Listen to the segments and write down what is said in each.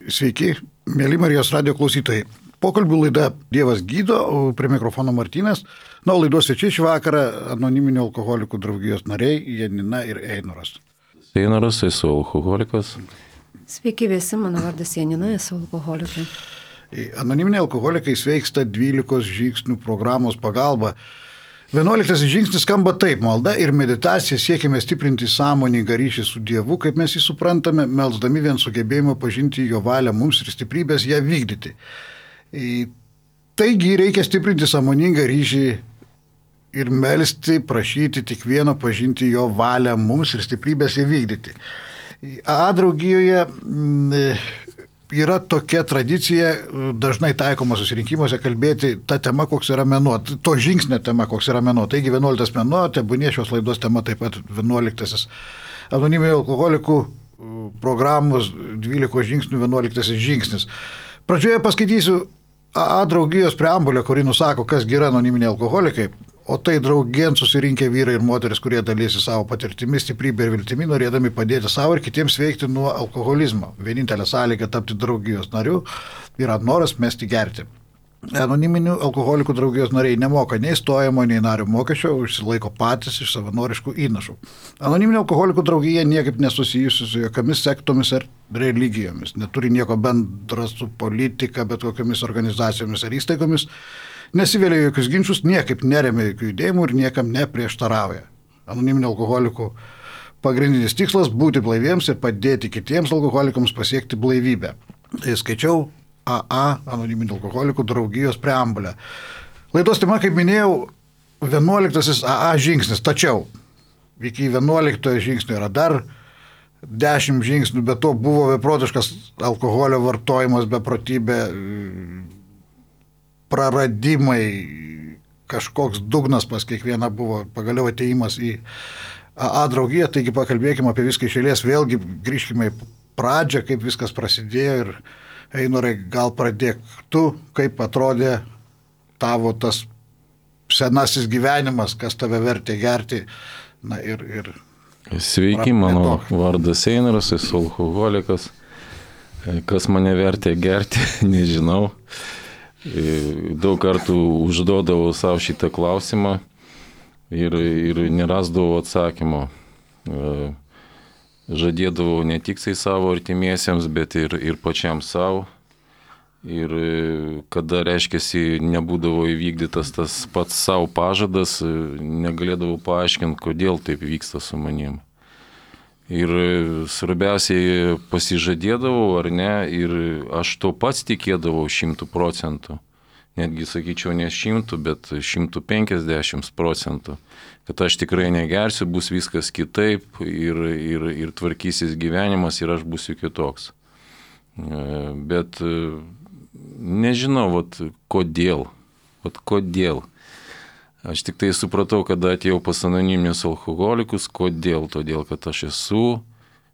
Sveiki, mėly Marijos radijo klausytojai. Pokalbių laida Dievas gydo, prie mikrofono Martynas. Na, laidos svečiai šį vakarą anoniminių alkoholikų draugijos nariai Janina ir Einoras. Einoras, esu alkoholikas. Sveiki visi, mano vardas Janina, esu alkoholikai. Anoniminiai alkoholikai sveiksta 12 žingsnių programos pagalba. 11 žingsnis skamba taip: malda ir meditacija siekime stiprinti sąmoningą ryšį su Dievu, kaip mes jį suprantame, melsdami vien sugebėjimą pažinti jo valią mums ir stiprybės ją vykdyti. Taigi reikia stiprinti sąmoningą ryšį ir melsti, prašyti tik vieno pažinti jo valią mums ir stiprybės ją vykdyti. AA draugijoje yra tokia tradicija, dažnai taikoma susirinkimuose, kalbėti tą temą, koks yra mėnuo, to žingsnio tema, koks yra mėnuo. Taigi 11 mėnuo, tebūnie šios laidos tema taip pat 11 anoniminių alkoholikų programos 12 žingsnių 11 žingsnis. Pradžioje paskaitysiu AA draugijos preambulę, kuri nusako, kas yra anoniminiai alkoholikai. O tai draugien susirinkę vyrai ir moteris, kurie dalysi savo patirtimi, stiprybę ir viltimi, norėdami padėti savo ir kitiems veikti nuo alkoholizmo. Vienintelė sąlyga tapti draugijos nariu yra noras mesti gerti. Anoniminių alkoholikų draugijos nariai nemoka nei stojamo, nei nario mokesčio, užsilaiko patys iš savanoriškų įnašų. Anoniminių alkoholikų draugija niekaip nesusijusi su jokiamis sektomis ar religijomis, neturi nieko bendra su politika, bet kokiamis organizacijomis ar įstaigomis, nesivėlė jokius ginčius, niekaip neremia jokių judėjimų ir niekam neprieštarauja. Anoniminių alkoholikų pagrindinis tikslas – būti blaiviems ir padėti kitiems alkoholikams pasiekti blaivybę. Tai skaičiau AA anoniminių alkoholikų draugijos preambulę. Laidos tema, kaip minėjau, 11 AA žingsnis, tačiau iki 11 žingsnio yra dar 10 žingsnių, bet to buvo beprotiškas alkoholio vartojimas, beprotybė, praradimai, kažkoks dugnas pas kiekvieną buvo, pagaliau atėjimas į AA draugiją, taigi pakalbėkime apie viską iš eilės, vėlgi grįžkime į pradžią, kaip viskas prasidėjo ir Einorai, gal pradėk tu, kaip atrodė tavo tas senasis gyvenimas, kas tave vertė gerti, na ir Sveiki, mano vardas Einoras, esu alkoholikas, kas mane vertė gerti, nežinau. Daug kartų užduodavau savo šitą klausimą ir nerasdavau atsakymo. Žadėdavau ne tik savo artimiesiems, bet ir pačiam savo. Ir kada, reiškiasi, nebūdavo įvykdytas tas pats savo pažadas, negalėdavau paaiškinti, kodėl taip vyksta su manim. Ir svarbiausiai pasižadėdavau, ar ne, ir aš to pats tikėdavau 100%. Netgi, sakyčiau, ne 100, bet 150%. Kad aš tikrai negersiu, bus viskas kitaip ir tvarkysis gyvenimas ir aš būsiu kitoks. Bet nežinau, kodėl. Aš tik tai supratau, kada atėjau pas anoniminius alkoholikus, kodėl. Todėl, kad aš esu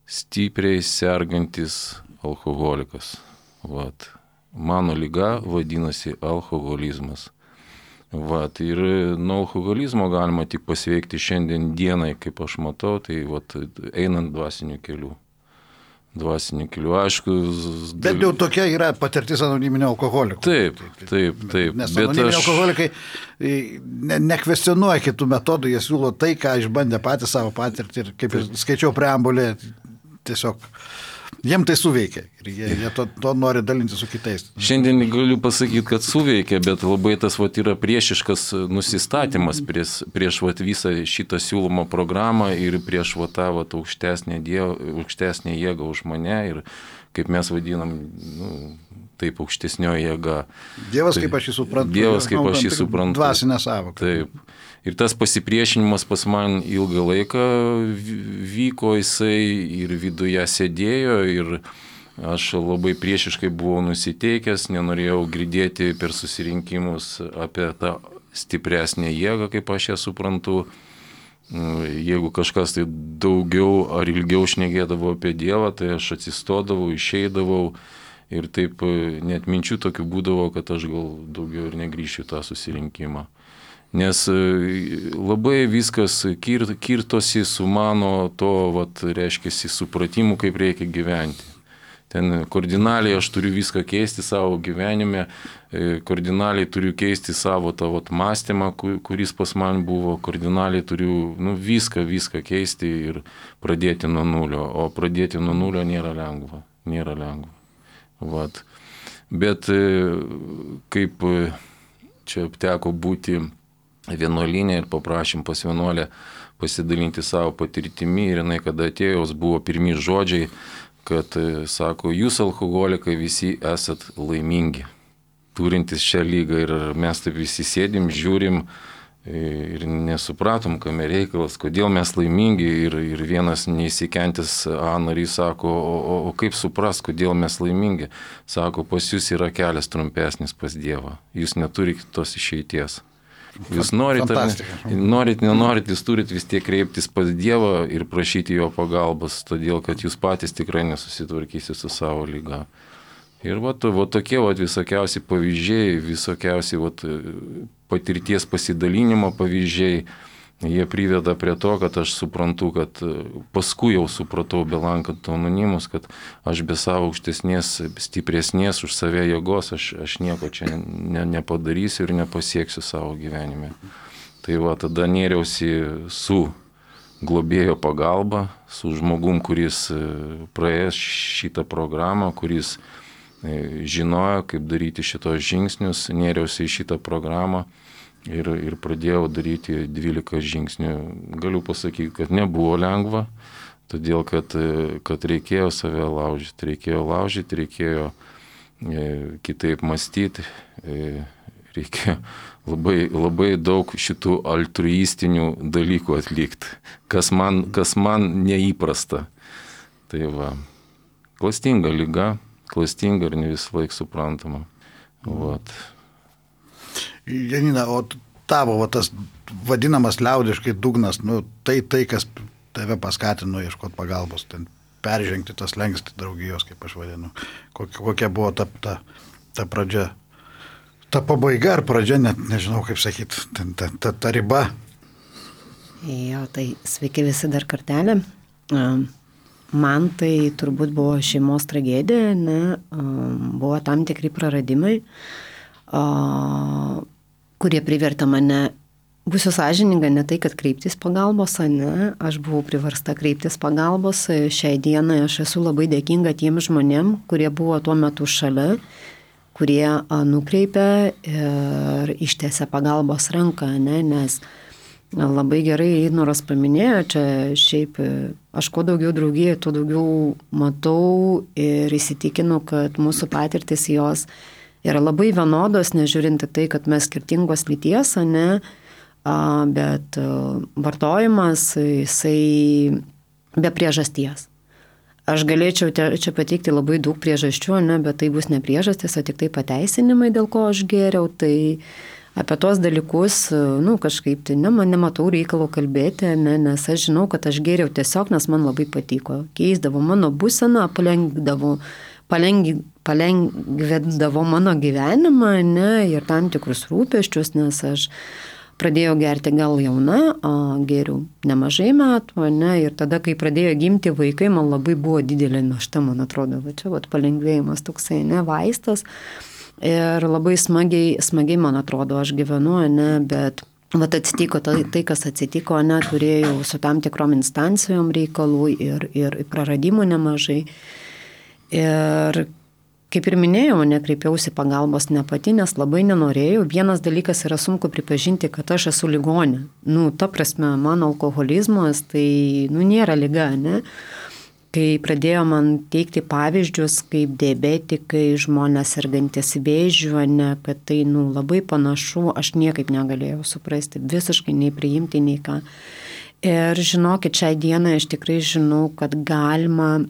stipriai sergantis alkoholikas. Mano liga vadinasi alkoholizmas. Ir nuo alkoholizmo galima tik pasveikti šiandien dienai, kaip aš matau, tai einant dvasiniu keliu. Aišku. Bet jau tokia yra patirtis anoniminio alkoholikų. Taip. Nes anoniminiai alkoholikai nekvestionuoja kitų metodų, jie siūlo tai, ką išbandė patys savo patirtį ir kaip skaičiau preambulę, tiesiog jiem tai suveikia ir jie to nori dalinti su kitais. Šiandien galiu pasakyti, kad suveikia, bet labai tas yra priešiškas nusistatymas prieš visą šitą siūlomą programą ir prieš tą aukštesnę jėgą už mane ir kaip mes vadinam, taip, aukštesnioji jėga. Dievas, kaip aš jį suprantu. Dvasinė sąvoka. Taip. Ir tas pasipriešinimas pas man ilgą laiką vyko, jisai ir viduje sėdėjo ir aš labai priešiškai buvau nusiteikęs, nenorėjau girdėti per susirinkimus apie tą stipresnę jėgą, kaip aš ją suprantu. Jeigu kažkas tai daugiau ar ilgiau šnekėdavo apie Dievą, tai aš atsistodavau, išeidavau ir taip net minčių tokių būdavo, kad aš gal daugiau ir negrįšiu tą susirinkimą. Nes labai viskas kirtosi su mano to, reiškiasi, supratimu, kaip reikia gyventi. ten kardinaliai aš turiu viską keisti savo gyvenime, kardinaliai turiu keisti savo tą mąstymą, kuris pas man buvo, kardinaliai turiu viską keisti ir pradėti nuo nulio, o pradėti nuo nulio nėra lengva. Vat. Bet kaip čia teko būti vienuolyne ir paprašym pas vienuolę pasidalinti savo patirtimi ir jinai, kada atėjo, buvo pirmi žodžiai, kad sako, jūs alkoholikai visi esat laimingi, turintis šią lygą ir mes taip visi sėdim, žiūrim ir nesupratom, kame reikalas, kodėl mes laimingi ir vienas neįsikentis narys sako, o kaip supras, kodėl mes laimingi, sako, pas jūs yra kelias trumpesnis pas Dievą, jūs neturite tos išeities. Jūs norit, nenorit, jūs turit vis tiek kreiptis pas Dievą ir prašyti jo pagalbos, todėl kad jūs patys tikrai nesusitvarkysite su savo lyga. Ir tokie visokiausi pavyzdžiai, visokiausi patirties pasidalinimo pavyzdžiai, jie priveda prie to, kad aš suprantu, kad paskui jau supratau, belankant anonimus, kad aš be savo aukštesnės, stipresnės už save jėgos, aš nieko čia nepadarysiu ir nepasieksiu savo gyvenime. Tai tada nėriausi su globėjo pagalba, su žmogum, kuris praėjęs šitą programą, kuris žinojo, kaip daryti šitos žingsnius, nėriausi į šitą programą. Ir pradėjau daryti 12 žingsnių. Galiu pasakyti, kad nebuvo lengva, todėl kad reikėjo save laužyti, reikėjo kitaip mąstyti, reikėjo labai daug šitų altruistinių dalykų atlikti, kas man neįprasta. Tai klastinga liga, klastinga ir ne visą laiką suprantama. Janina, o tavo tas vadinamas liaudiškai dugnas, tai, kas tave paskatino ieškoti pagalbos, ten peržengti tas slenkstį draugijos, kaip aš vadinu. Kokia buvo ta pradžia, ta pabaiga ar pradžia, net nežinau kaip sakyti, ta riba. Jo, tai sveiki visi dar kartelį. Man tai turbūt buvo šeimos tragedija, buvo tam tikri praradimai, kurie privertė mane, būsiu sąžininga, ne tai, kad kreiptis pagalbos, aš buvau priversta kreiptis pagalbos. Šiai dienai aš esu labai dėkinga tiem žmonėm, kurie buvo tuo metu šalia, kurie nukreipė ir ištiesė pagalbos ranką, nes labai gerai Noras paminėjo, čia šiaip aš kuo daugiau draugijų, tuo daugiau matau ir įsitikinu, kad mūsų patirtis jos yra labai vienodos, nežiūrinti tai, kad mes skirtingos lyties, bet vartojimas, jisai be priežasties. Aš galėčiau čia pateikti labai daug priežasčių, bet tai bus ne priežastis, o tik tai pateisinimai, dėl ko aš gėriau. Tai apie tos dalykus, kažkaip tai man nematau reikalo kalbėti, nes aš žinau, kad aš gėriau tiesiog, nes man labai patiko. Keisdavo mano būseną, palengvindavo mano gyvenimą, ir tam tikrus rūpesčius, nes aš pradėjau gerti gal jauna, gėriau nemažai metų, ir tada, kai pradėjo gimti vaikai, man labai buvo didelė našta, man atrodo, čia palengvėjimas toksai, vaistas, ir labai smagiai, man atrodo, aš gyvenu, bet atsitiko tai, kas atsitiko, turėjau su tam tikrom instancijom reikalų ir praradimų nemažai. Ir kaip ir minėjau, nekreipiausi pagalbos ne pati, nes labai nenorėjau. Vienas dalykas yra sunku pripažinti, kad aš esu ligonė. Ta prasme, mano alkoholizmas tai nėra liga, Kai pradėjo man teikti pavyzdžius, kaip diabetikai, žmonės sergantis vėžiu, kad tai labai panašu, aš niekaip negalėjau suprasti, visiškai nei priimti, nei ką. Ir žinokit, šią dieną aš tikrai žinau, kad galima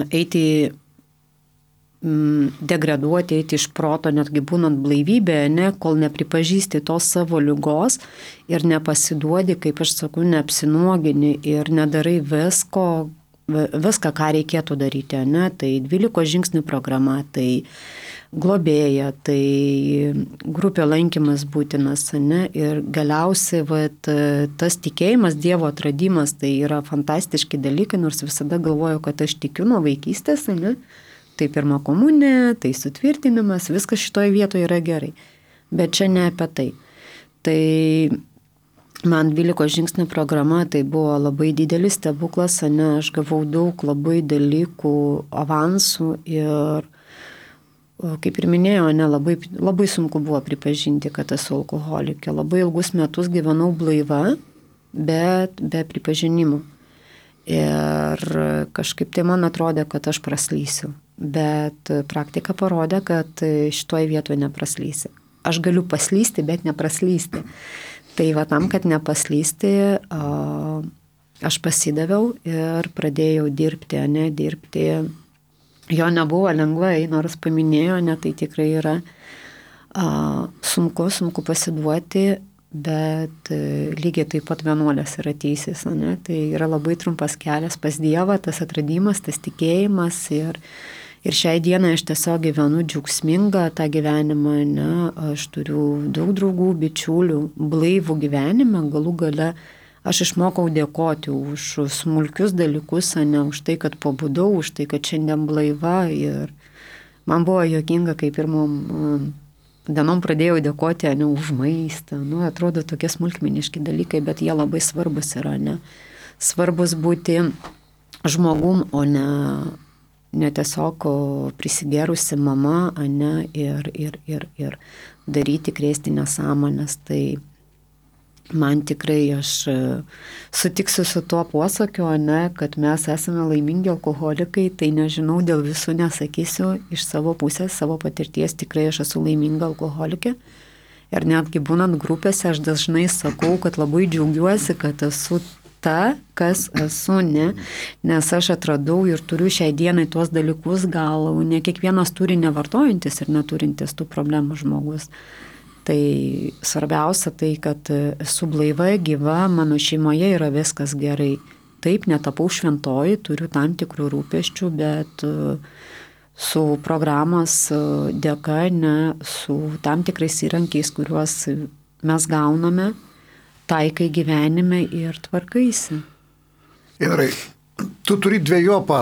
eiti, degraduoti, eiti iš proto, netgi būnant blaivybėje, kol nepripažįsti tos savo ligos ir nepasiduodi, kaip aš sakau, neapsinuogini ir nedarai viską, ką reikėtų daryti, Tai 12 žingsnių programa, tai globėja, tai grupio lankymas būtinas, ne? Ir galiausiai tas tikėjimas, Dievo atradimas, tai yra fantastiški dalykai, nors visada galvoju, kad aš tikiu nuo vaikystės, ne? Tai pirma komunija, tai sutvirtinimas, viskas šitoje vietoje yra gerai. Bet čia ne apie tai. Tai man 12 žingsnių programa tai buvo labai didelis stebuklas, ne? Aš gavau daug labai dalykų, avansų ir kaip ir minėjau, ne, labai sunku buvo pripažinti, kad esu alkoholikė. Labai ilgus metus gyvenau blaiva, bet be pripažinimo. Ir kažkaip tai man atrodė, kad aš praslysiu. Bet praktika parodė, kad šitoje vietoje nepraslysi. Aš galiu paslysti, bet nepraslysti. Tai va tam, kad nepaslysti, aš pasidaviau ir pradėjau dirbti. Jo nebuvo lengvai, nors paminėjo, ne, tai tikrai yra sunku pasiduoti, bet lygiai taip pat vienuolės yra teisės, ne? Tai yra labai trumpas kelias pas Dievą, tas atradimas, tas tikėjimas ir šiai dienai aš tiesiog gyvenu džiaugsmingą tą gyvenimą, ne? Aš turiu daug draugų, bičiulių, blaivų gyvenimą, galų gale aš išmokau dėkoti už smulkius dalykus, ne už tai, kad pabudau, už tai, kad šiandien blaiva ir man buvo juokinga, kai pirmom dienom pradėjau dėkoti, ne už maistą, nu, atrodo tokie smulkmeniški dalykai, bet jie labai svarbus yra, ne, svarbus būti žmogum, o ne tiesiog prisigerusi mama, ne, ir daryti, krėsti nesąmonės, tai man tikrai aš sutiksiu su tuo posakiu, ne, kad mes esame laimingi alkoholikai, tai nežinau, dėl visų nesakysiu, iš savo pusės, savo patirties tikrai aš esu laiminga alkoholikė. Ir netgi būnant grupėse aš dažnai sakau, kad labai džiaugiuosi, kad esu ta, kas esu, ne, nes aš atradau ir turiu šiai dienai tuos dalykus, gal ne kiekvienas turi nevartojantis ir neturintis tų problemų žmogus. Tai svarbiausia tai, kad esu blaiva, gyva, mano šeimoje yra viskas gerai. Taip, netapau šventoji, turiu tam tikrų rūpesčių, bet su programos dėka, ne, su tam tikrais įrankiais, kuriuos mes gauname, taikai gyvenime ir tvarkaisi. Gerai, tu turi dviejopą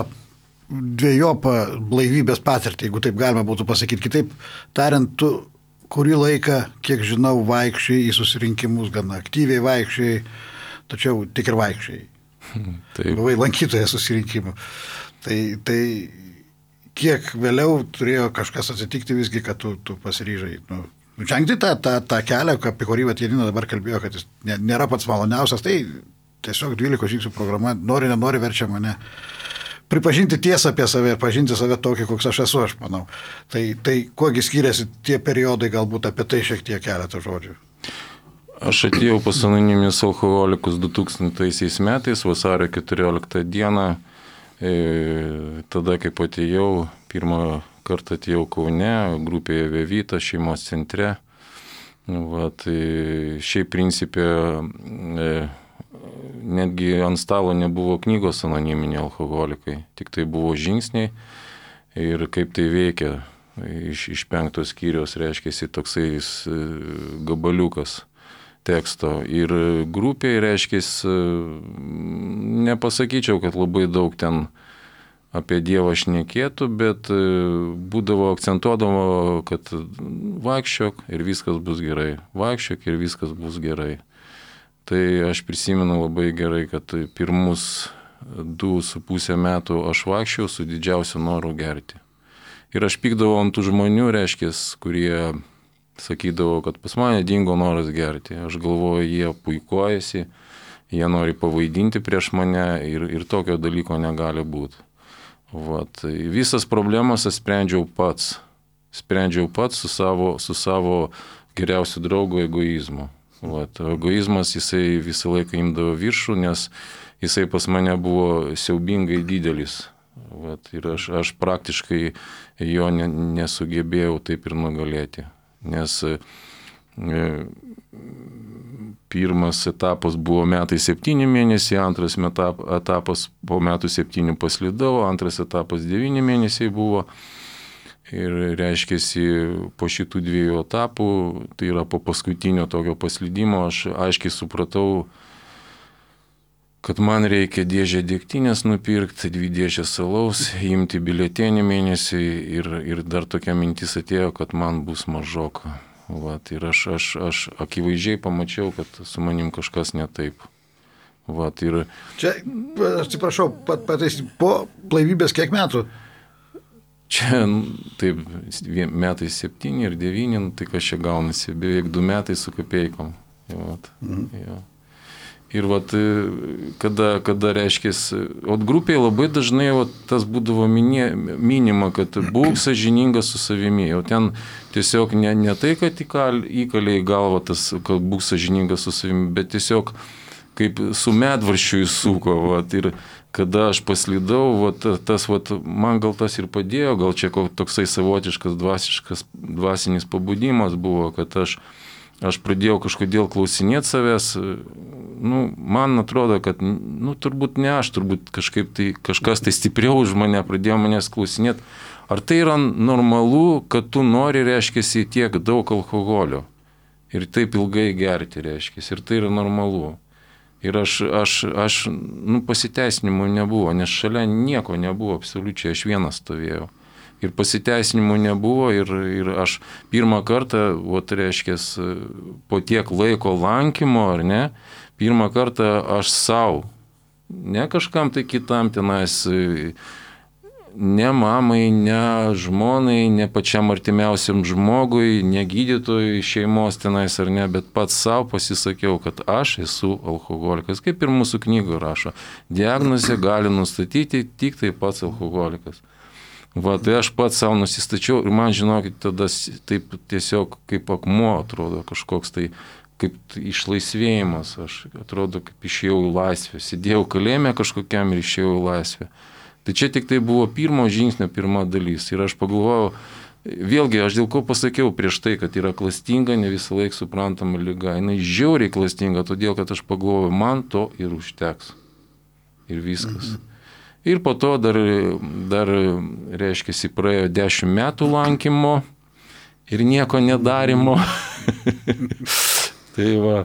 blaivybės patirtį, jeigu taip galima būtų pasakyti. Kitaip tariant, tu kurį laiką, kiek žinau, vaikščiai į susirinkimus, gana aktyviai vaikščiai, tačiau tik ir vaikščiai. Buvai lankytojas susirinkimų. Tai kiek vėliau turėjo kažkas atsitikti visgi, kad tu pasiryžai. Žengti tą kelią, apie kurį Janina dabar kalbėjo, kad jis nėra pats maloniausias, tai tiesiog 12 žingsnių programa, nenori verčia mane pripažinti tiesą apie save ir pažinti save tokį, koks aš esu, aš manau. Tai kuogi skiriasi tie periodai, galbūt apie tai šiek tiek keletą žodžių. Aš atėjau pas anoniminius alkoholikus 2000 metais, vasario 14 dieną. Tada, kaip atėjau, pirmą kartą atėjau Kaune, grupėje Vevita, šeimos centre. Šiaip principė netgi ant stalo nebuvo knygos anoniminiai alkoholikai, tik tai buvo žingsniai ir kaip tai veikia. Iš 5 skyriaus reiškiasi toksai gabaliukas teksto. Ir grupėje reiškiasi, nepasakyčiau, kad labai daug ten apie Dievą šnekėtų, bet būdavo akcentuodavo, kad vaikščiok ir viskas bus gerai. Vaikščiok ir viskas bus gerai. Tai aš prisimenu labai gerai, kad pirmus 2,5 metų aš vaikščiau su didžiausiu noru gerti. Ir aš pykdavau ant tų žmonių, reiškės, kurie sakydavo, kad pas mane dingo noras gerti. Aš galvoju, jie puikuojasi, jie nori pavaidinti prieš mane ir tokio dalyko negali būti. Visas problemas aš sprendžiau pats su savo geriausiu draugu egoizmu. Egoizmas jisai visą laiką imdavo viršų, nes jisai pas mane buvo siaubingai didelis. Ir aš praktiškai jo nesugebėjau taip ir nugalėti. Nes pirmas etapas buvo metai 7 mėnesiai, antras etapas po metų 7 paslydau, antras etapas 9 mėnesiai buvo. Ir reiškiasi, po šitų 2 etapų, tai yra po paskutinio tokio paslydimo, aš aiškiai supratau, kad man reikia dėžę degtinės nupirkti, 2 dėžės alaus, imti biuletenį mėnesį ir dar tokia mintis atėjo, kad man bus mažoka. Vat, ir aš akivaizdžiai pamačiau, kad su manim kažkas ne taip. Vat, ir... Čia, atsiprašau, po blaivybės kiek metų? Čia, taip, metai 7 ir 9, tai kas čia gaunasi, beveik 2 metai su kapeikom. Vat, jo. Ir vat, kada reiškės, grupėje labai dažnai tas būdavo minima, kad būk sąžiningas su savimi. O ten tiesiog ne tai, kad įkalė į galvą tas, kad būk sąžiningas su savimi, bet tiesiog kaip su medvarščiu įsuko. Vat, ir kada aš paslydau, man gal tas ir padėjo, gal čia toksai savotiškas dvasinis pabudimas buvo, kad aš pradėjau kažkodėl klausinėti savęs, man atrodo, kad, turbūt ne aš, turbūt kažkas tai stipriau už mane pradėjo manęs klausinėti, ar tai yra normalu, kad tu nori, reiškiasi, tiek daug alkoholio ir taip ilgai gerti, reiškiasi, ir tai yra normalu. Ir aš pasiteisinimų nebuvo, nes šalia nieko nebuvo, absoliučiai aš vienas stovėjau. Ir pasiteisinimų nebuvo ir aš pirmą kartą, reiškės, po tiek laiko lankymo, ar ne, pirmą kartą aš savo, ne kažkam tai kitam tenais, ne mamai, ne žmonai, ne pačiam artimiausiam žmogui, ne gydytojui šeimos tenais ar ne, bet pats savo pasisakiau, kad aš esu alkoholikas, kaip ir mūsų knygoje rašo. Diagnozę gali nustatyti tik tai pats alkoholikas. Tai aš pats savo nusistačiau ir man, žinokit, tada taip tiesiog kaip akmuo atrodo kažkoks tai, kaip išlaisvėjimas, aš atrodo kaip išėjau į laisvę, sėdėjau kalėjime kažkokiam ir išėjau į laisvę. Tai čia tik tai buvo pirmo žingsnio pirma dalis ir aš pagalvojau, vėlgi aš dėl ko pasakiau prieš tai, kad yra klastinga, ne visą laiką suprantama liga, jinai žiauriai klastinga, todėl kad aš pagalvojau, man to ir užteks ir viskas. Ir po to dar reiškiasi, praėjo 10 metų lankymo ir nieko nedarimo. Tai va,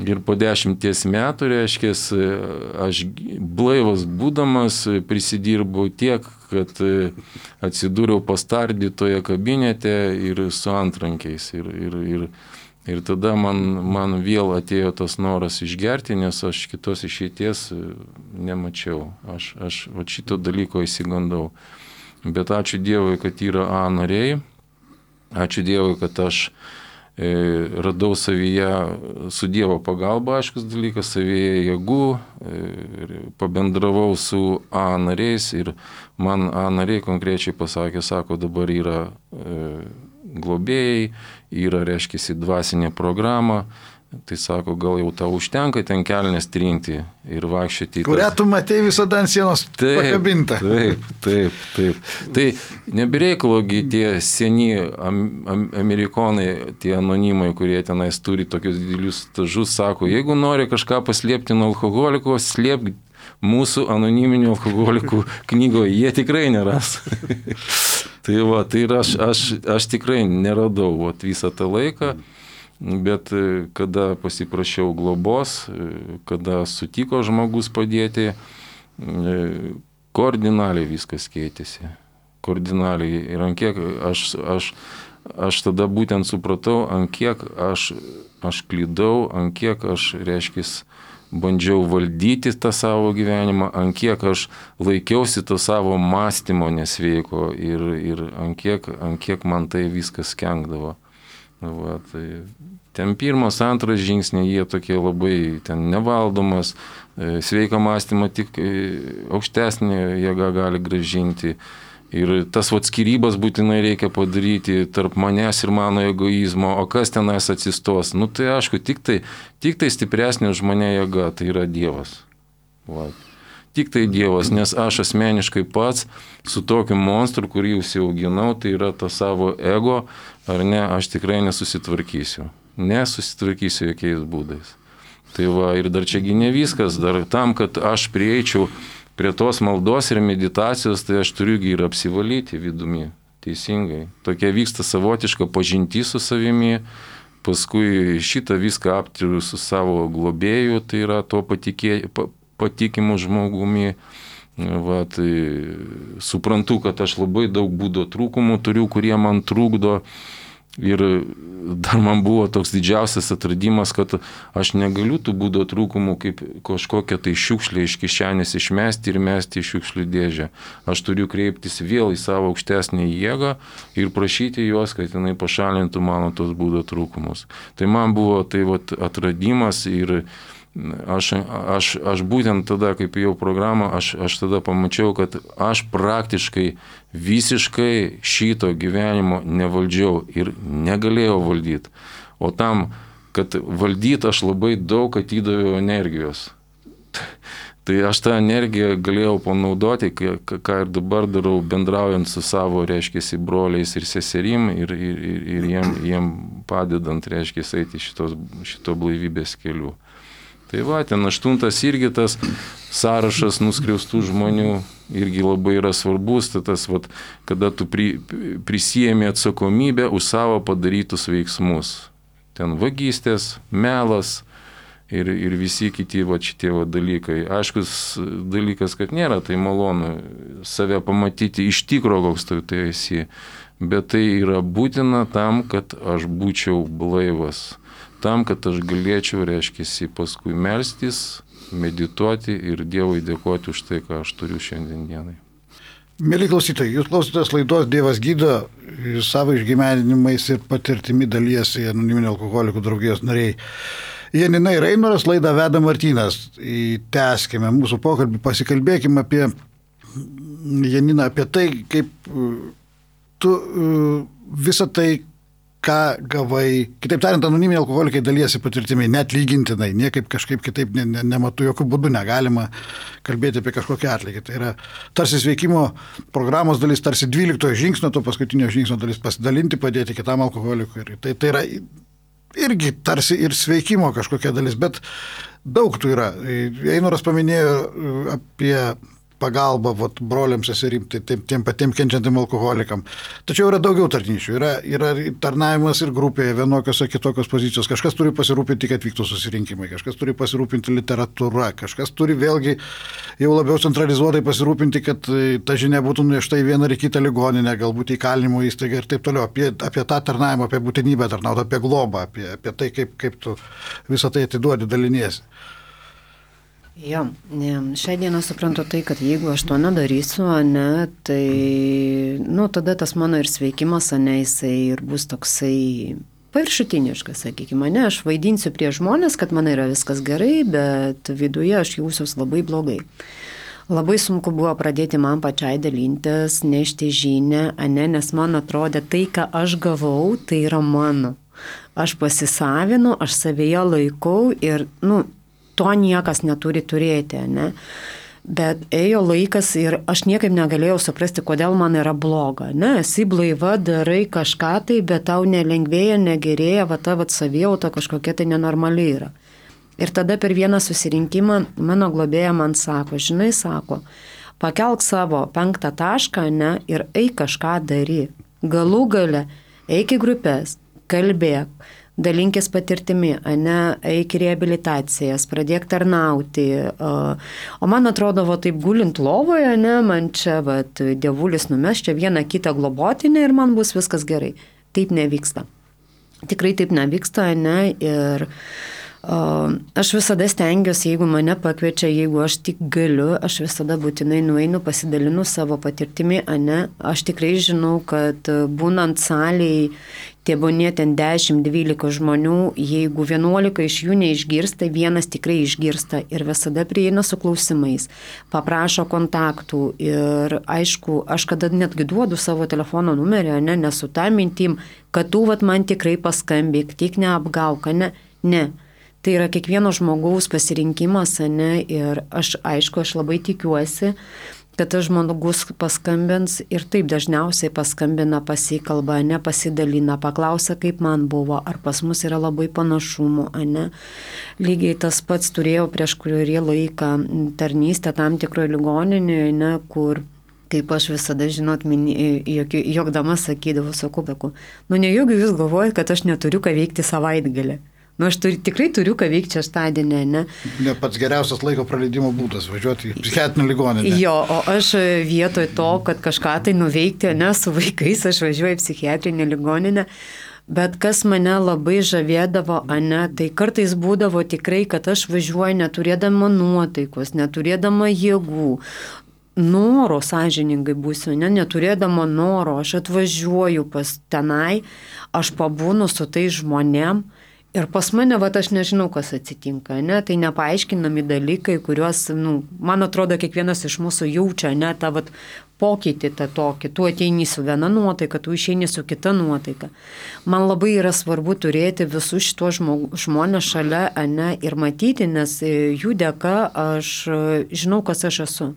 ir po 10 metų, reiškiasi, aš blaivas būdamas prisidirbau tiek, kad atsidūriau pastardytoje kabinete ir su antrankiais. Ir tada man vėl atėjo tas noras išgerti, nes aš kitos išeities nemačiau. Aš šito dalyko įsigandau. Bet ačiū Dievui, kad yra A nariai. Ačiū Dievui, kad aš radau savyje, su Dievo pagalba, aiškus dalykas, savyje jėgų, pabendravau su A nariais ir man A nariai konkrečiai pasakė, sako, dabar yra globėjai, yra, reiškiasi, dvasinė programa, tai sako, gal jau tau užtenka ten kelnes trinti ir vaikščioti. Kurią tu matei visada ant sienos pakabintą. Taip. Tai nebereikalogi tie seni amerikonai, tie anonimai, kurie tenais turi tokius didelius stažus, sako, jeigu nori kažką paslėpti nuo alkoholiko, slėpk mūsų anoniminių alkoholikų knygoje, jie tikrai neras. Tai ir aš tikrai neradau visą tą laiką, bet kada pasiprašiau globos, kada sutiko žmogus padėti, kardinaliai viskas keitėsi. Kardinaliai. Ir ant kiek aš tada būtent supratau, ant kiek aš klydau, ant kiek aš, reiškis, bandžiau valdyti tą savo gyvenimą, ant kiek aš laikiausi to savo mąstymo nesveiko ir ant kiek man tai viskas kenkdavo. Tai ten pirmas, antras žingsniai, jie tokie labai ten nevaldomas, sveiką mąstymą tik aukštesnė jėga gali grąžinti. Ir tas skyrybas būtinai reikia padaryti tarp manęs ir mano egoizmo, o kas tenais atsistos? Tai aišku, tik tai stipresnė už mane jėga, tai yra Dievas. Tik tai Dievas, nes aš asmeniškai pats su tokiu monstru, kurį užsiauginau, tai yra ta savo ego, ar ne, aš tikrai nesusitvarkysiu. Nesusitvarkysiu jokiais būdais. Tai ir dar čiagi ne viskas, dar tam, kad aš prieičiau prie tos maldos ir meditacijos, tai aš turiu ir apsivalyti vidumi. teisingai. Tokia vyksta savotiška pažintis su savimi, paskui šitą viską aptariu su savo globėju, tai yra to patikimu žmogumi. Va, tai suprantu, kad aš labai daug būdo trūkumų turiu, kurie man trukdo. Ir dar man buvo toks didžiausias atradimas, kad aš negaliu tų būdo trūkumų kaip kažkokią tai šiukšlę iš kišenės išmesti ir mesti į šiukšlių dėžę. Aš turiu kreiptis vėl į savo aukštesnį jėgą ir prašyti juos, kad jinai pašalintų mano tos būdo trūkumus. Tai man buvo tai vat atradimas ir aš būtent tada, kaip jau programą, aš tada pamačiau, kad aš praktiškai visiškai šito gyvenimo nevaldžiau ir negalėjau valdyti. O tam, kad valdyti, aš labai daug atidaviau energijos. Tai aš tą energiją galėjau panaudoti, ką ir dabar darau, bendraujant su savo, reiškia, broliais ir seserim ir jiem padedant, reiškia, eiti šito blaivybės keliu. Tai va, ten 8 irgi tas sąrašas nuskriaustų žmonių irgi labai yra svarbus, tai tas, va, kada tu prisijėmi atsakomybę už savo padarytus veiksmus. Ten vagystės, melas ir visi kiti va, šitie va, dalykai. Aiškus dalykas, kad nėra tai malonu save pamatyti iš tikro, koks tu tai esi, bet tai yra būtina tam, kad aš būčiau blaivas. Tam, kad aš galėčiau, reiškia, paskui melstis, medituoti ir Dievui dėkoti už tai, ką aš turiu šiandien dienai. Mėly klausytojai, jūs klausotės laidos Dievas gydo, savo išgyvenimais ir patirtimi dalyjasi Anoniminių alkoholikų draugijos nariai. Janina ir Einoras, laidą veda Martynas. Tęskime mūsų pokalbį, pasikalbėkime apie Janiną, apie tai, kaip tu visą tai, ką gavai, kitaip tariant, anoniminiai alkoholikai dalyjasi patirtimi, net lygintinai, niekaip kažkaip kitaip nematau, jokių būdų negalima kalbėti apie kažkokią atlygį. Tai yra tarsi sveikimo programos dalis, tarsi 12 žingsnio, to paskutinio žingsnio dalis pasidalinti, padėti kitam alkoholikui. Tai yra irgi tarsi ir sveikimo kažkokia dalis, bet daug tų yra. Einoras paminėjo apie pagalba broliams seserim, tiem patiem kenčiantiem alkoholikam. Tačiau yra daugiau tarnyšių, yra tarnavimas ir grupėje vienokios ar kitokios pozicijos. Kažkas turi pasirūpinti, kad vyktų susirinkimai, kažkas turi pasirūpinti literatūra, kažkas turi vėlgi jau labiau centralizuotai pasirūpinti, kad ta žinia būtų nešta į vieną ar kitą ligoninę, galbūt į kalinimo įstaigą ir taip toliau. Apie tą tarnavimą, apie būtinybę tarnauti, apie globą, apie tai, kaip tu visą tai atiduodi, daliniesi. Jo, šią dieną suprantu tai, kad jeigu aš to nedarysiu, tai, tada tas mano ir sveikimas, jisai ir bus toksai paviršutiniškas, sakykime, aš vaidinsiu prie žmonės, kad man yra viskas gerai, bet viduje aš jausiuos labai blogai. Labai sunku buvo pradėti man pačiai dalintis, nešti žinią, nes man atrodė tai, ką aš gavau, tai yra mano. Aš pasisavinu, aš savyje laikau ir, to niekas neturi turėti, Bet ėjo laikas ir aš niekaip negalėjau suprasti, kodėl man yra bloga, esi blaiva, darai kažką tai, bet tau nelengvėja, negerėja, ta savijauta kažkokia tai nenormali yra. Ir tada per vieną susirinkimą mano globėja man sako, sako, pakelk savo 5 tašką, ir eik kažką daryk. Galų gale, eik į grupės, kalbėk. Dalinkis patirtimi, eik į reabilitacijas, pradėk tarnauti. O man atrodo, taip gulint lovoje, man čia dievulis numes čia vieną kitą globotinę ir man bus viskas gerai. Taip nevyksta. Tikrai taip nevyksta, ir aš visada stengiuosi, jeigu mane pakviečia, jeigu aš tik galiu, aš visada būtinai nueinu, pasidalinu savo patirtimi, Aš tikrai žinau, kad būnant salėj, tebūnie ten 10-12 žmonių, jeigu 11 iš jų neišgirsta, vienas tikrai išgirsta ir visada prieina su klausimais, paprašo kontaktų ir aišku, aš kada netgi duodu savo telefono numerį, nesu tą mintim, kad tu man tikrai paskambėk, tik neapgauk, ne. Tai yra kiekvieno žmogaus pasirinkimas, ir aš labai tikiuosi, kad tas žmogus paskambins ir taip dažniausiai paskambina, pasikalba, pasidalina, paklausia, kaip man buvo, ar pas mus yra labai panašumų, Lygiai tas pats turėjau prieš kurį laiką tarnystę tam tikroje ligoninėje, kur kaip aš visada, žinot, jokdama sakydavau, sakau, nejaugi jūs galvojate, kad aš neturiu ką veikti savaitgalį. Aš tikrai turiu ką veikti šeštadienį, ne? Ne pats geriausias laiko praleidimo būdas - važiuoti į psichiatrinę ligoninę. Jo, o aš vietoj to, kad kažką tai nuveikti, ne, su vaikais, aš važiuoju į psichiatrinę ligoninę. Bet kas mane labai žavėdavo, ne, tai kartais būdavo tikrai, kad aš važiuoju neturėdama nuotaikos, neturėdama jėgų. Noro, sąžiningai būsiu, neturėdama noro, aš atvažiuoju pas tenai, aš pabūnu su tai žmonėm. Ir pas mane, aš nežinau, kas atsitinka, ne? Tai nepaaiškinami dalykai, kuriuos, man atrodo, kiekvienas iš mūsų jaučia, ne, tą pokytį tą tokį. Tu ateini su viena nuotaika, tu išeini su kita nuotaika. Man labai yra svarbu turėti visus šitos žmonės šalia, ne, ir matyti, nes jų dėka aš žinau, kas aš esu.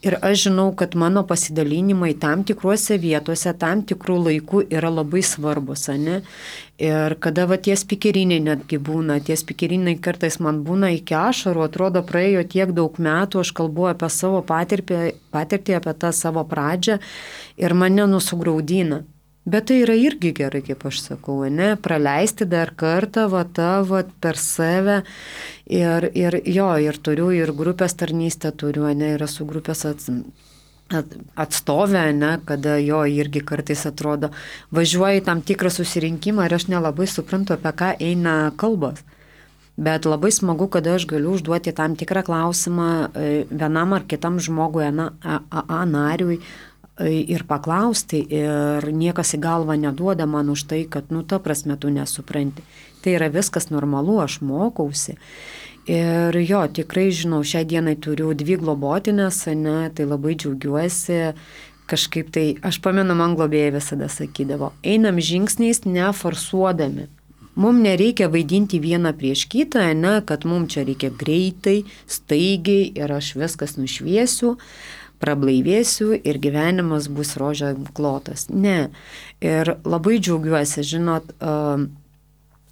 Ir aš žinau, kad mano pasidalinimai tam tikruose vietose, tam tikrų laikų yra labai svarbus, ne? Ir kada tie spikeriniai netgi būna, tie spikeriniai kartais man būna iki ašarų, atrodo praėjo tiek daug metų, aš kalbu apie savo patirtį, apie tą savo pradžią ir mane nusugraudina. Bet tai yra irgi gerai, kaip aš sakau, ne, praleisti dar kartą per save ir turiu ir grupės tarnystę turiu, ne, ir esu grupės atstovė, ne, kada jo irgi kartais atrodo, važiuoju į tam tikrą susirinkimą ir aš nelabai suprantu, apie ką eina kalbos. Bet labai smagu, kada aš galiu užduoti tam tikrą klausimą vienam ar kitam žmogui, nariui, ir paklausti, ir niekas į galvą neduoda man už tai, kad, ta prasme, tu nesupranti. Tai yra viskas normalu, aš mokausi. Ir jo, tikrai žinau, šią dieną turiu 2 globotinės, ne, tai labai džiaugiuosi. Kažkaip tai, aš pamenu, man globėjai visada sakydavo, einam žingsniais neforsuodami. Mums nereikia vaidinti vieną prieš kitą, ne, kad mums čia reikia greitai, staigiai ir aš viskas nušviesiu, prablaivėsiu ir gyvenimas bus rožė klotas. Ne. Ir labai džiaugiuosi, žinot,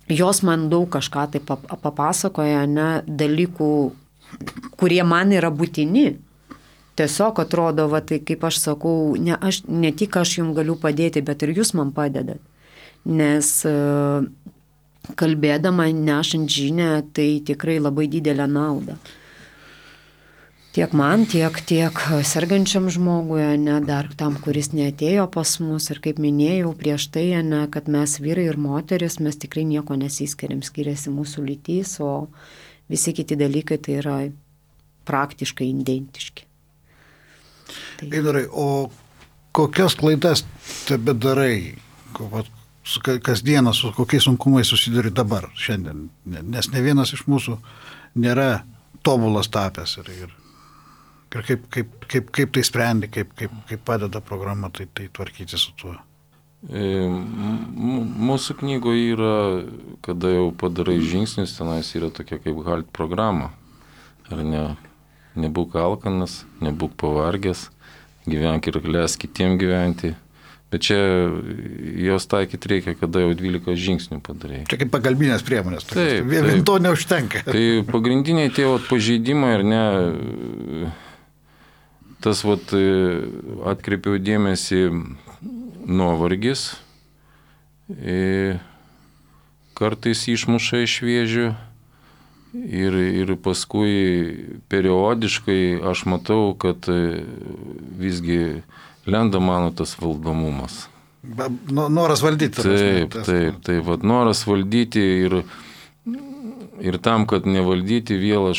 jos man daug kažką tai papasakoja, ne, dalykų, kurie man yra būtini. Tiesiog atrodo, tai kaip aš sakau, ne tik aš jums galiu padėti, bet ir jūs man padedat. Nes kalbėdama, nešant žinią, tai tikrai labai didelę naudą. Tiek man, tiek sergančiam žmogui, ne, dar tam, kuris neatėjo pas mus. Ir kaip minėjau prieš tai, ne, kad mes vyrai ir moteris, mes tikrai nieko nesiskiriam, skiriasi mūsų lytys, o visi kiti dalykai tai yra praktiškai identiški. Eidarai, o kokias klaidas tebe darai, kasdieną su kokiais sunkumais susiduri dabar, šiandien? Nes ne vienas iš mūsų nėra tobulas tapęs ir kaip tai sprendi, kaip padeda programa tai tvarkyti su tuo? Mūsų knygoje yra, kada jau padarai žingsnis, tenais yra tokia kaip HALT programa. Ar ne? Nebūk alkanas, nebūk pavargęs, gyvenk ir leisk kitiem gyventi. Bet čia jos taikyti reikia, kada jau 12 žingsnių padarai. Čia kaip pagalbinės priemonės. Taip. Vien to neužtenka. Tai pagrindiniai tie pažeidimai, ar ne, tas atkreipiau dėmesį nuovargis, kartais išmuša iš vėžių ir paskui periodiškai aš matau, kad visgi lenda mano tas valdomumas. Noras valdyti. Taip, noras valdyti ir tam, kad nevaldyti vėl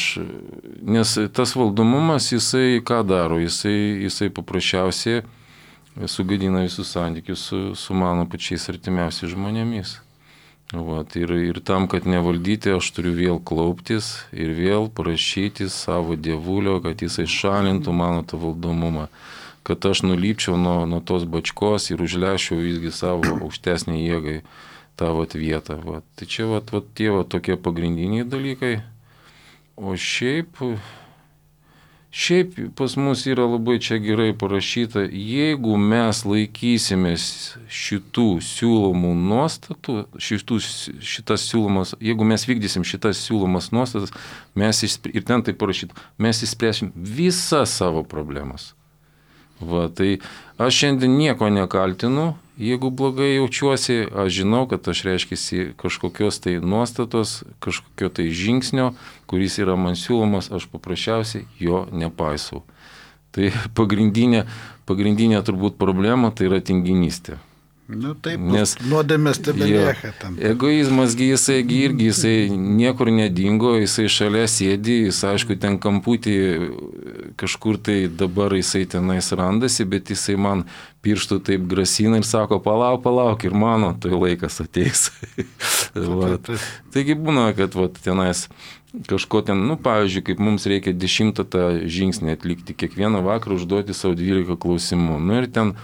nes tas valdomumas, jisai ką daro, jisai paprasčiausiai sugadina visus santykius su mano pačiais artimiausiais žmonėmis. Ir tam, kad nevaldyti, aš turiu vėl klauptis ir vėl prašyti savo dievulio, kad jisai šalintų mano tą valdomumą, kad aš nulypčiau nuo tos bačkos ir užlešiau visgi savo aukštesnį jėgai tą vietą. Tai čia tie tokie pagrindiniai dalykai. O šiaip pas mus yra labai čia gerai parašyta, jeigu mes laikysimės šitų siūlomų nuostatų, jeigu mes vykdysim šitas siūlomas nuostatas, ir ten tai parašyta, mes išspręsim visas savo problemas. Va, tai aš šiandien nieko nekaltinu, jeigu blogai jaučiuosi, aš žinau, kad aš reiškiasi kažkokios tai nuostatos, kažkokio tai žingsnio, kuris yra man siūlomas, aš paprasčiausiai jo nepaisau. Tai pagrindinė turbūt problema tai yra tinginystė. Nu taip, nes nuodėmės tebelieka tam. Egoizmas jisai niekur nedingo, jisai šalia sėdi, jis aišku ten kamputį kažkur tai dabar jisai tenais randasi, bet jisai man pirštų taip grasina ir sako, palauk ir mano, tai laikas ateis. Taigi būna, kad tenais kažko ten, pavyzdžiui, kaip mums reikia 10 tą žingsnį atlikti, kiekvieną vakarą užduoti savo 12 klausimų. Ir ten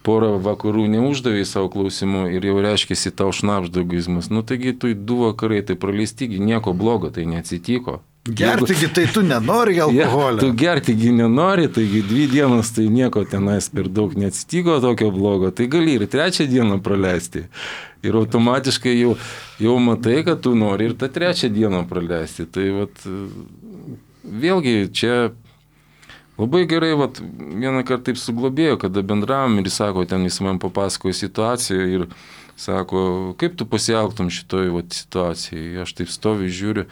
porą vakarų neuždavė savo klausimų ir jau reiškiasi tau šnapžda egoizmas. Taigi tu 2 vakarai tai praleistigi, nieko blogo tai neatsitiko. Gertigi tai tu nenori alkoholio. Tu gertigi nenori, taigi 2 dienas tai nieko tenais per daug neatsitiko tokio blogo, tai gali ir 3 dieną praleisti. Ir automatiškai jau matai, kad tu nori ir tą 3 dieną praleisti. Tai vėlgi čia labai gerai, vieną kartą taip suglobėjo, kada bendravom ir jis sako, ten jis man papasakojo situaciją ir sako, kaip tu pasielgtum šitoj situacijai. Aš taip stoviu, žiūriu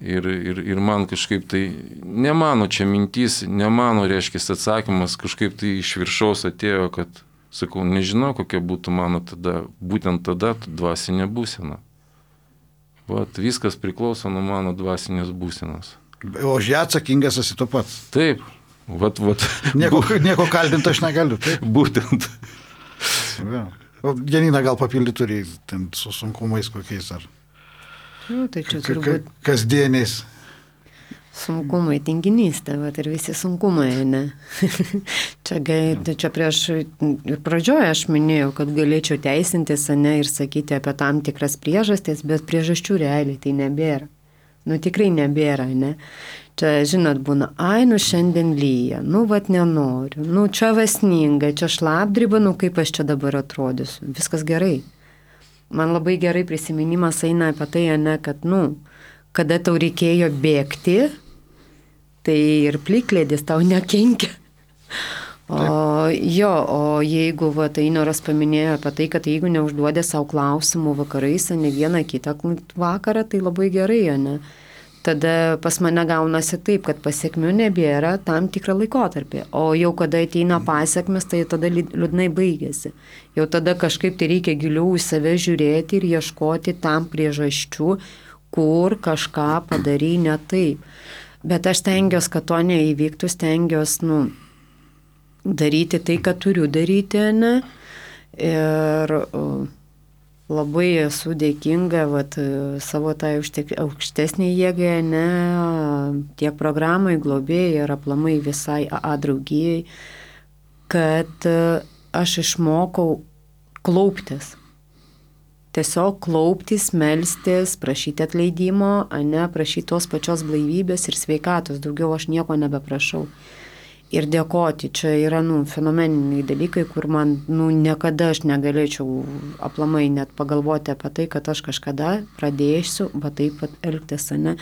ir man kažkaip tai, ne mano čia mintis, ne mano reiškia atsakymas, kažkaip tai iš viršaus atėjo, kad, sakau, nežinau, kokia būtų mano tada, būtent tada dvasinė būsena. Viskas priklauso nuo mano dvasinės būsenos. O už ją atsakingas esi tu pats. Taip. Nieko kaltinti aš negaliu. Taip? Būtent. Janina gal papildyti turi ten su sunkumais kokiais ar tai čia turbūt kasdieniais. Sunkumai, tinginystė, ir visi sunkumai, ne? Čia prieš ir pradžioje aš minėjau, kad galėčiau teisintis, ne, ir sakyti apie tam tikras priežastis, bet priežasčių realiai tai nebėra. Tikrai nebėra, ne? Čia, žinot, būna, šiandien lyja, nenoriu, čia vasninga, čia šlapdriba, kaip aš čia dabar atrodysiu, viskas gerai. Man labai gerai prisiminimas eina apie tai, ne, kad, kada tau reikėjo bėgti, tai ir plikledis tau nekenkia. O jeigu, Einoras paminėjo apie tai, kad jeigu neužduodė savo klausimų vakarais, ne vieną kitą vakarą, tai labai gerai, ne? Tada pas mane gaunasi taip, kad pasiekmių nebėra tam tikrą laikotarpį. O jau kada ateina pasiekmes, tai tada liūdnai baigėsi. Jau tada kažkaip tai reikia giliau į save žiūrėti ir ieškoti tam priežasčių, kur kažką padarai ne taip. Bet aš stengiuosi, kad to neįvyktų, stengiuosi, daryti tai, ką turiu daryti, ne? Ir labai esu dėkinga savo tai aukštesnį jėgą, ne, tiek programai, globėjai ir aplamai visai AA draugijai, kad aš išmokau klauptis. Tiesiog klauptis, melstis, prašyti atleidimo, ne, prašyti tos pačios blaivybės ir sveikatos, daugiau aš nieko nebeprašau. Ir dėkoti, čia yra, fenomeniniai dalykai, kur man, niekada aš negalėčiau aplamai net pagalvoti apie tai, kad aš kažkada pradėsiu, taip elgtis, ne.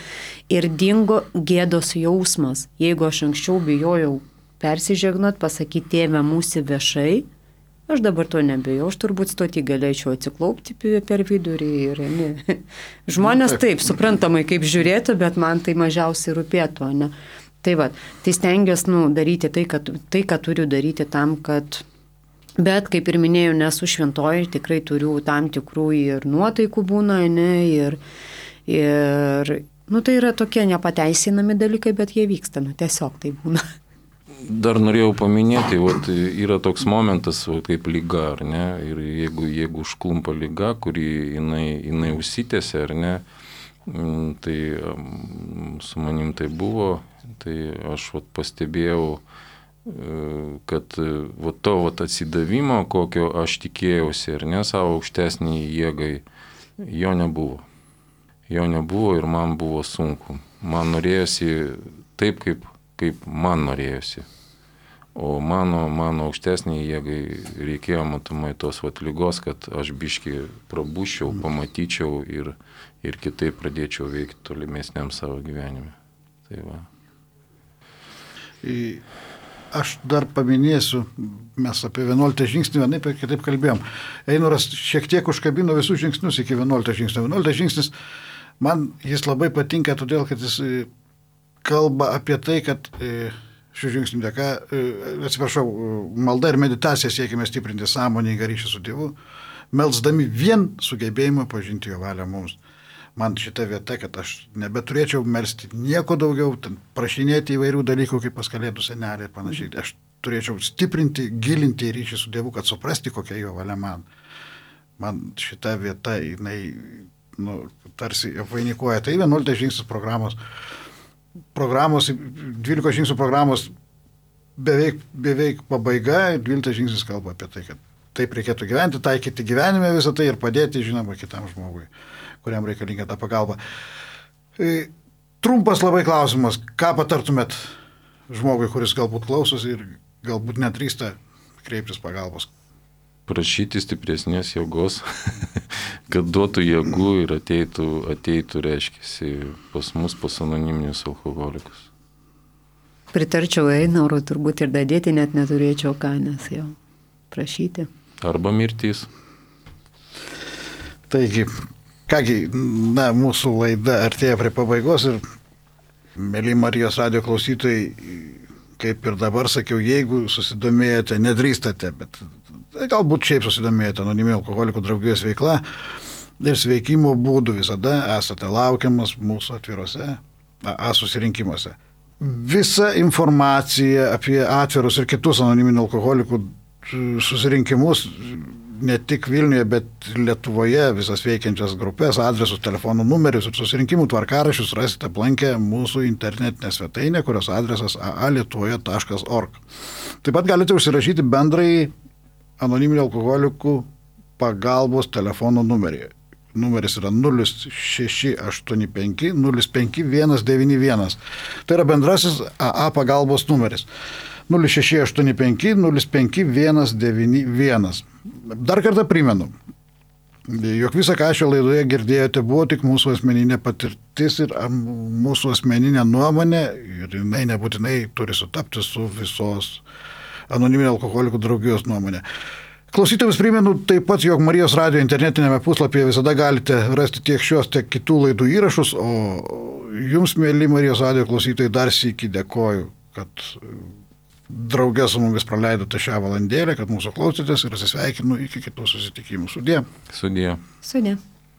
Ir dingo gėdos jausmas. Jeigu aš anksčiau bijojau persižegnot, pasakyti tėvę mūsų viešai, aš dabar to nebijau, aš turbūt stoti galėčiau atsiklaupti per vidurį ir ne. Žmonės taip, suprantamai kaip žiūrėtų, bet man tai mažiausiai rūpėtų, ne. Tai stengiuosi daryti tai, ką turiu daryti tam, kad, bet kaip ir minėjau, nesu šventoji, tikrai turiu tam tikrų ir nuotaikų būna, ne, ir tai yra tokie nepateisinami dalykai, bet jie vyksta, tiesiog tai būna. Dar norėjau paminėti, yra toks momentas kaip liga, ar ne, ir jeigu užklumpa liga, kuri jinai užsitęsia, ar ne, tai su manim tai buvo. Tai aš pastebėjau, kad to atsidavimo, kokio aš tikėjausi, ar ne, savo aukštesniai jėgai, jo nebuvo. Jo nebuvo ir man buvo sunku. Man norėjosi taip, kaip man norėjosi. O mano aukštesniai jėgai reikėjo matomai tos ligos, kad aš biškį prabūščiau, pamatyčiau ir kitaip pradėčiau veikti tolimesniam savo gyvenime. Tai va. aš dar paminėsiu, mes apie 11 žingsnį vienaip ir kitaip kalbėjom. Einoras šiek tiek užkabino visus žingsnius iki 11 žingsnio. 11 žingsnis, man jis labai patinka, todėl, kad jis kalba apie tai, kad šių žingsnių dėka, malda ir meditacija siekime stiprinti sąmoningą ryšį su Dievu, melsdami vien sugebėjimą pažinti jo valią mums. Man šita vieta, kad aš nebeturėčiau melsti nieko daugiau, prašinėti įvairių dalykų, kaip pas Kalėdų senelį ir panašiai. Aš turėčiau stiprinti, gilinti ryšį su Dievu, kad suprasti, kokia jo valia man. Man šita vieta, jinai, tarsi apvainikuoja. Tai 11 žingsnis programos, 12 žingsnių programos beveik pabaiga, 12 žingsnis kalba apie tai, kad taip reikėtų gyventi, taikyti gyvenime visą tai ir padėti, žinoma, kitam žmogui, kuriam reikalinga ta pagalba. Trumpas labai klausimas, ką patartumėt žmogui, kuris galbūt klausosi ir galbūt nedrįsta kreiptis pagalbos? Prašyti stipresnės jėgos, kad duotų jėgų ir ateitų reiškiasi pas mus, pas anoniminius alkoholikus. Pritarčiau Einarui, turbūt ir dadėti net neturėčiau ką, nes jau prašyti. Arba mirtis. Taigi, kągi, mūsų laida artėja prie pabaigos ir, mėly Marijos radijo klausytojai, kaip ir dabar sakiau, jeigu susidomėjote, nedrįstate, bet galbūt šiaip susidomėjote anoniminių alkoholikų draugijos veikla ir sveikimo būdų, visada esate laukiamas mūsų atvirose susirinkimuose. Visa informacija apie atvirus ir kitus anoniminių alkoholikų susirinkimus, ne tik Vilniuje, bet Lietuvoje, visas veikiančias grupės, adresus, telefonų numerius ir susirinkimų tvarkaraščius rasite aplankę mūsų internetinę svetainę, kurios adresas aalietuvoje.org. Taip pat galite užsirašyti bendrai anoniminių alkoholikų pagalbos telefono numerį. Numeris yra 0685 05191. Tai yra bendrasis AA pagalbos numeris. 0685 05191. Dar kartą primenu, jog visą, ką šio laidoje girdėjote, buvo tik mūsų asmeninė patirtis ir mūsų asmeninė nuomonė ir jinai nebūtinai turi sutapti su visos anoniminių alkoholikų draugijos nuomonė. Klausytojams primenu taip pat, jog Marijos radijo internetinėme puslapyje visada galite rasti tiek šios, tiek kitų laidų įrašus, o jums, mėly Marijos radijo klausytojai, dar sykį dėkoju, kad drauge su mumis praleidote šią valandėlę, kad mūsų klausėtės ir atsisveikinu iki kitų susitikimų. Sudie. Sudie. Sudie.